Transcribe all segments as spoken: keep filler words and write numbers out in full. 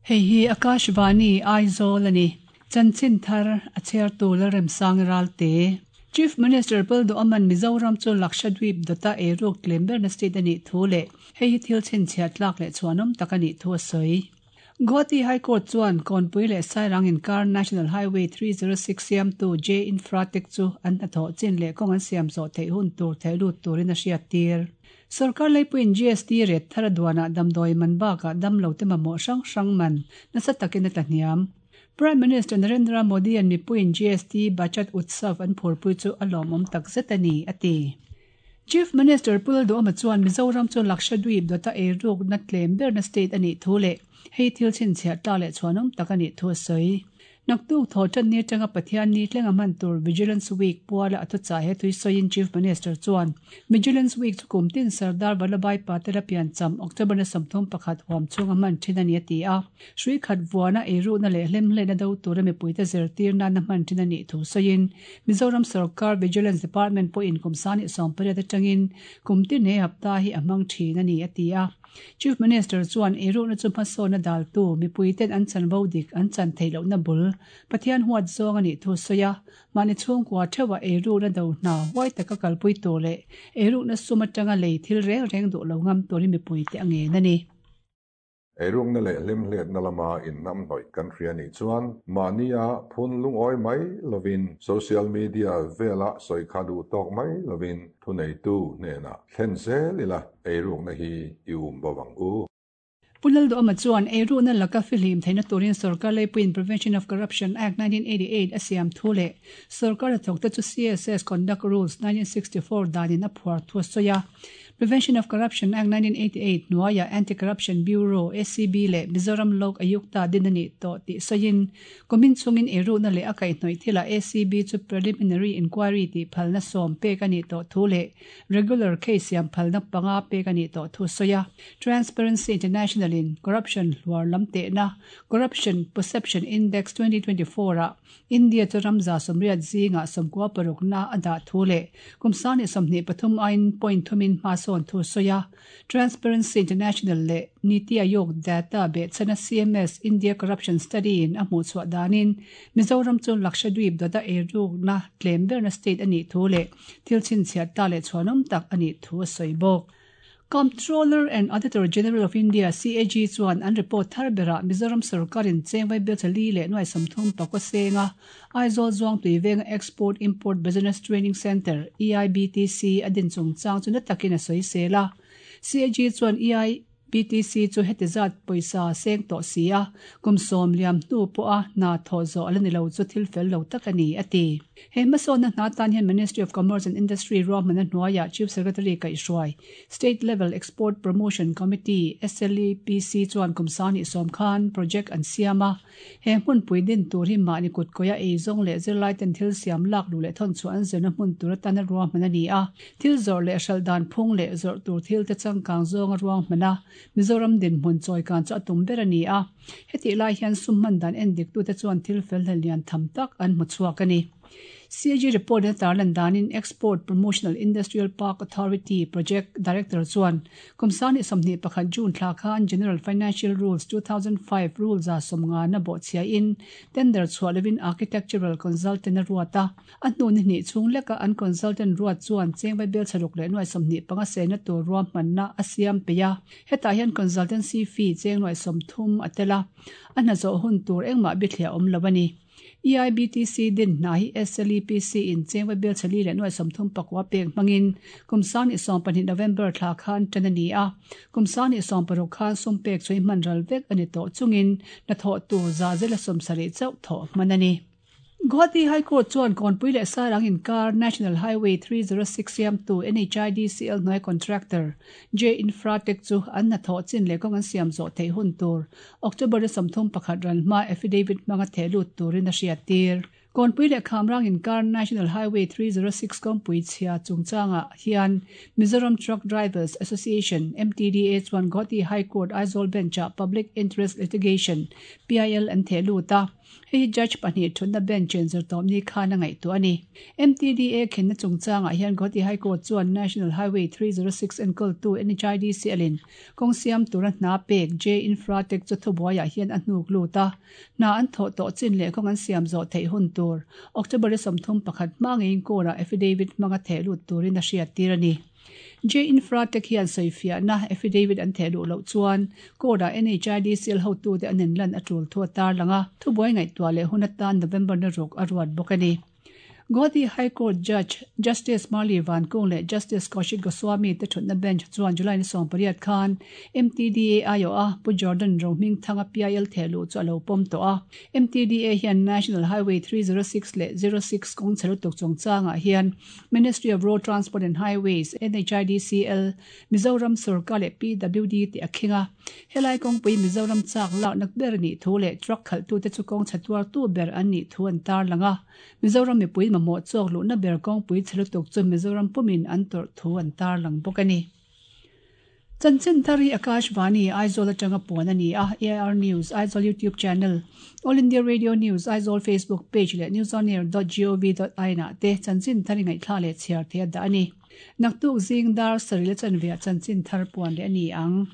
Hei hi Akashvani Aizawl ani. Chanchin thar a chhiartu Lalremsang Ralte. Chief Minister Lalduhoma'n Mizoram chu Lakshadweep dawta eiruk tlem berna state a nih thu leh hei hi thil chhinchhiah tlak leh chhuanawm tak a nih thu a sawi. Guwahati High Court chuan Kawnpui leh Sairang inkar National Highway three zero six siamtu J Infratech chu an hnathawh chin leh kawng an siam zawh theih hun tur theih lut turin a hriattir. Sorkar leipuiin G S T ret thar a duanah damdawi man bakah damlo te mamawh hrang hrang man nasa takin a tlahniam. Prime Minister Narendra Modi an mipuiin G S T Bachat Utsav an phurpui chu a lawmawm tak zet a ni, a ti. Chief Minister Pu Lalduhoma chuan Mizoram chu Lakshadweep dawta eirukna tlem berna state a nih thu leh hei thil chhinchhiah tla leh chhuanawm tak a nih thu a sawi. Naktuk thaw tan ni atanga Pathian ni tlenga hman tur Vigilance Week puala a thuchah he thui sawiin Chief Minister chuan Vigilance Week chu kum tin Sardar Vallabhbhai Patel a piancham October na sawmthum pakhat huam chhunga hman thin a ni a ti a. Hrui khat vuana eirukna leh hlemhlehna do tura mipuite zirtir nana hman thin a nih thu sawiin Mizoram Sarkar Vigilance Department pawhin kum sani sawm pariat atangin kum tin he hapta hi a hmang thin a ni a ti a. Chief Minister chuan eirukna chu hmasawn a daltu mipuiten an chanvo dik an chan theih lohna bul Pathian huat zawng a nih thu sawi a, mahni chhungkua theuhah eirukna do hna huai taka kalpui tur leh eirukna sum atanga lei thil reng reng duh lo ngam turin mipuite a ngen a ni. Eirukna leh hlemhletna lama innam hnawih kan hria nih chuan mahnia phun lungawi mai lovin social media vela sawi kha duh tawk mai lovin thuneitu hnenah thlen zel ila eirukna hi i um bawk ang u. Pu Lalduhoma chuan eirukna laka fihlim theihna turin Sarkar leipuiin Prevention of Corruption Act nineteen eighty-eight a siam thu leh Sarkar hnathawkte chu C S S Conduct Rules nineteen sixty-four danin a phuar thu a sawi a. Prevention of Corruption Act nineteen eighty-eight hnuaiah Anti-Corruption Bureau A C B leh Mizoram Lok Ayukta din a nih tawh tih sawiin kumin chungin eirukna leh a kaihhnawih thilah A C B chu preliminary inquiry tih phalna sawm pek a nih tawh thu leh regular case siam phalna panga pek a nih tawh thu sawi a. Transparency International in Corruption hluar lam tehna Corruption Perception Index twenty twenty-four a India chu ramza sawmriat zinga sawmkua parukna a dah thu leh kumsani sawmhnih pathum ain point thumin hma sawn thu sawi a. Transparency International leh Niti Aayog data behchana C M S India Corruption Study in a hmuh chhuah danin Mizoram chu Lakshadweep dawta eirukna tlem berna state a nih thu leh thil chhinchhiah ta leh chhuanawm tak a nih thu a sawi bawk. Comptroller and Auditor General of India C A G chuan an report thar berah Mizoram Sarkarin chengvai bel chali leh nuai sawmthum pakua senga Aizawl Zuang Tuivenga Export Import Business Training Centre E I B T C a din chungchang chu na takin a sawi sel a. C A G chuan E I B T C chu heti zat pawisa seng tawh si a, kum sawm liam hnu pawh a hna thaw zawh ala ni lo chu thil fel lo tak a ni a ti. He hmasawnna hna tan hian Ministry of Commerce and Industry ruahmana hnuaiah Chief Secretary Kaihhruai State Level Export Promotion Committee S L E P C chuan kum sani sawm khan project an siam a. He hmunpui din tur hi mahni kut kawia eizawng leh zirlai ten thil siam lak lu leh thawn chu an zirna hmun tur atana ruahman a ni a. Thil zawrh leh hral dan phung leh zawrh tur thil te changkang zawnga ruahman a. Mizoram din hmun chawi kan chu a tum ber a ni a. Heti lai hian sum man dan en dik tu te chuan thil fel hlel lian tham tak an hmu chhuak a ni. C A G report na tarlan danin Export Promotional Industrial Park Authority Project Director chuan kumsani sawmhnih pakhat June thla khan General Financial Rules two thousand five rules a sawmnga na bawh chhia in tender chhuah lovin architectural consultant a ruat a. A hnu ni hnih chhung leka an consultant ruat chuan chengvai bel chharuk leh nuai sawmhnih panga sena tur ruahmanna a siam pe a. Hetah hian consultancy fee cheng nuai sawmthum a tel a. A hna zawh hun tur engmah bithliah awm lo a ni. E I B T C din hna hi S L E P C in chengvai bel chali leh nuai sawmthum pakua pek hmangin kumsani sawm pahnih November thla khan tan a ni a. Kumsani sawm paruk khan sum pek chui hman ral vek a ni tawh chungin na thawh tur za zela sawm sarih chauh thawh hman a ni. Guwahati High Court chuan Kawnpui leh Sairang inkar National Highway three zero six siamtu N H I D C L hnuai contractor J Infratech chu an hna thawh chin leh kawng an siam zawh theih hun tur October sawmthum pakhat ran hma affidavit hmanga theh lut turin a hriat tir. Kawnpui leh Khamrang inkar National Highway three zero six kawngpui chhia chungchanga hian Mizoram Truck Drivers Association M T D A chuan Guwahati High Court Aizawl Bench-ah Public Interest Litigation P I L an theh lut a. Hei judge pahnih thutna bench in zirtawpni khan a ngaihtuah a ni. M T D A khenna chungchangah hian Guwahati High Court chuan National Highway three oh six enkawltu N H I D C L in kawng siam tura hna pek J Infratech chu thubuaiah hian a hnuk lut a. Hna an thawh tawh chin leh kawng an siam zawh theih hun tur October sawmthum pakhat hma ngeiin court ah affidavit hmanga theh lut turin a hriat tir a ni. J Infratech hian sawifiahna affidavit an theh luh loh chuan court ah N H I D C L hotute an inlan a tul thu a tarlang a. Thubuai ngaihtuah leh hun atan November ni ruk a ruat bawk a ni. Guwahati High Court Judge Justice Marli Vankung leh Justice Kaushik Goswami te thutna bench chuan July ni sawm pariat khan M T D A aiawh a Pu Jordan Rohmingthanga P I L theh luh chu a lo pawm tawh a. M T D A hian National Highway three oh six leh oh six kawng chhe lutuk chungchangah hian Ministry of Road Transport and Highways, N H I D C L, Mizoram Sorkar leh P W D te a khing a. Helai kawngpui Mizoram chak lakna ber nih thu leh truck khalhtute chu kawng chhe tuartu ber an nih thu an tarlang a. Mizoram mipui mamawh chawk luhna ber kawngpui chhe lutuk chu Mizoram pumin an tawrh thu an tarlang bawk a ni. Chanchin thar hi Akashvani Aizawl atanga puan a ni a. A I R News Aizawl YouTube channel, All India Radio News Aizawl Facebook page leh newsonair dot gov dot in ah te chanchin thar ngaihthla leh chhiar thei a dah a ni. Naktuk zing dar sarih la chanve chanchin thar puan leh a ni ang.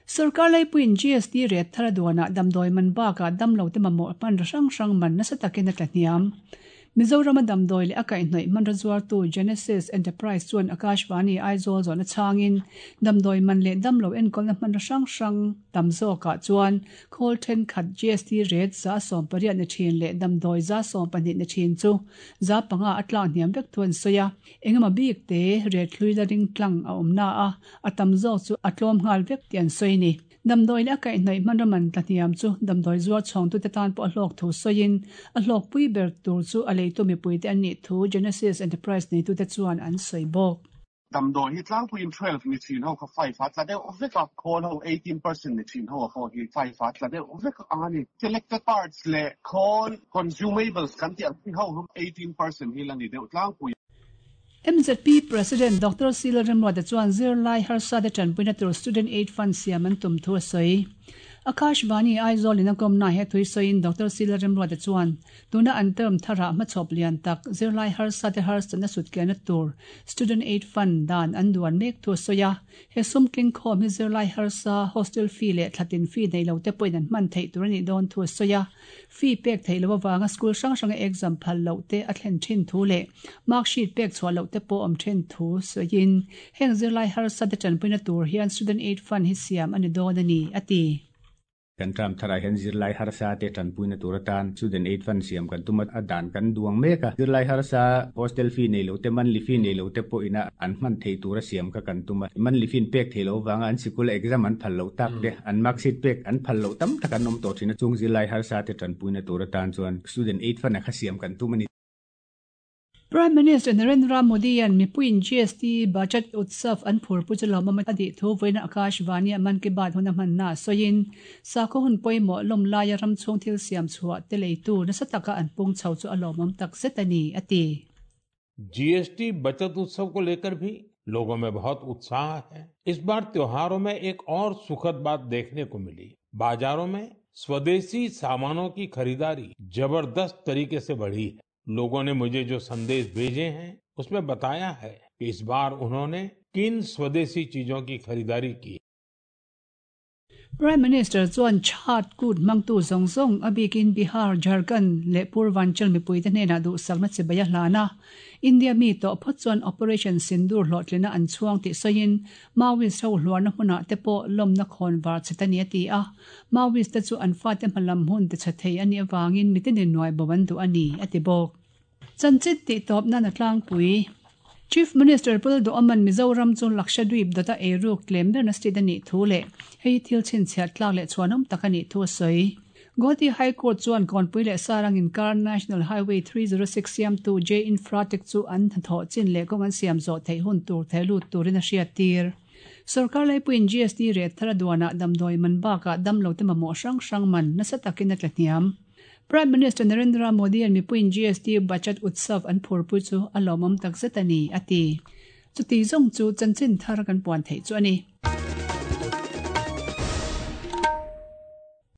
Sarkar laipuiin G S T rate thar a duanah damdawi man bakah damlo te mamawh hman hrang hrang man nasa takin a tlahniam. Mizoram a damdawi leh a kaihhnawih hmanraw zuartu Genesis Enterprise chuan Akashvani Aizawl zawhna chhangin damdawi man leh damlo enkawlna hmanraw hrang hrang tam zawkah chuan khawl thenkhat G S T rate za sawm pariat ni thin leh damdawi za sawm pahnih ni thin chu za panga a tlak hniam vek thu an sawi a. Engemaw bik te rate hlui la ring tlang a awm na a, a tam zawk chu a tlawm nghal vek tih an sawi ni. Damdawi leh a kaihhnawih hmanraw man tlahniam chu damdawi zuar chhawngtute tan pawh a hlawk thu sawiin a hlawk pui ber tur chu a leitu mipuite an nih thu Genesis Enterprise neitute chuan an sawi bawk. Damdawi hi tlangpuiin twelve ni thin ho kha five a tla deuh vek a, khawl ho eighteen percent ni thin ho a pawh hi five a tla deuh vek ang ani. Selected parts leh khawl consumables kan tih ang ho eighteen percent hi la ni deuh tlangpui. M Z P President Doctor C Lalremruata chuan zirlai harsa te tanpuina tur Student Aid Fund siam an tum thu a sawi. Akashvani Aizawl in a kawmna he thui sawiin Doctor C Lalremruata chuan tuna an term thara hmachhawp lian tak zirlai harsa te harsatna sutkianna tur Student Aid Fund dan an duan mek thu a sawi a. He sum tling khawm hi zirlai harsa hostel fee leh thlatin fee nei lo te pawhin an hman theih tur anih dawn thu a sawi a. Fee pek theih lo awanga school hrang hranga exam phal loh te a thlen thin thu leh mark sheet pek chhuah loh te pawh awm then thu sawiin heng zirlai harsa te tanpuina tur hian Student Aid Fund hi siam ani dawn ani a ti. Kan tram thara hian zirlai harsa te tanpuina tur atan Student Aid Fund siam kan tuma a dan kan duang mek a. Zirlai harsa hostel fee nei lo te, monthly fee nei lo te pawh ina an hman thei tura siam ka kan tuma. Monthly fee pek thei lo wanga an sikul exam an phal lo tak te, an mark sheet pek an phal lo tam tak an awm tawh thin a. Chung zirlai harsa te tanpuina tur atan chuan Student Aid Fund a kha siam kan tum ani. Prime Minister Narendra Modi an mipuiin G S T Bachat Utsav an phurpui chu lawmawm a tih thu vawiin Akashvani a Mann Ki Baat hun a hmanna sawiin sakhaw hun pawimawh lawm laia ram chhung thil siam chhuah te leitu nasa taka an pung chho chu a lawmawm tak zet a ni a ti. G S T बचत उत्सव को लेकर भी लोगों में बहुत उत्साह है। इस बार त्योहारों में एक और सुखद बात देखने को मिली। बाजारों में स्वदेशी सामानों की खरीदारी जबरदस्त तरीके से बढ़ी है। लोगों ने मुझे जो संदेश भेजे हैं, उसमें बताया है कि इस बार उन्होंने किन स्वदेशी चीजों की खरीदारी की। Prime Minister chuan Chhath Kut hmangtu zawng zawng a bikin Bihar, Jharkhand leh Purvanchal mipuite hnenah duhsakna chibai a hlan a. India mi tawh phawt chuan Operation Sindoor hlawhtlina an chhuang tih sawiin Maoist ho hluarna hmunah te pawh lawmna khawn var chhet a ni a ti a. Maoist te chu an fate hmalam hun ti chhe thei anih awangin mitinin nuai bo an duh a ni a ti bawk. Chanchin tih tawp nan a tlangpui. Chief Minister Pu Lalduhoma'n Mizoram chu Lakshadweep dawta eiruk tlem berna state anih thu leh hei thil chhinchhiat tlak leh chhuanawm tak anih thu a sawi. Guwahati High Court chuan Kawnpui leh Sarang inkar National Highway three oh six siamtu J Infratech chu an hnathawh chin leh kawng an siam zawh theih hun tur theh lut turin a hriat tir. Sarkar laipuiin G S T rate thar a duanah damdawi man bakah damlo te mamawh hrang hrang man nasa takin a tlahniam. Prime Minister Narendra Modi an mipuiin G S T Bachat Utsav an phurpui chu a lawmawm tak zet a ni a ti. Chuti zawng chu chanchin thar kan puan theih chu a ni.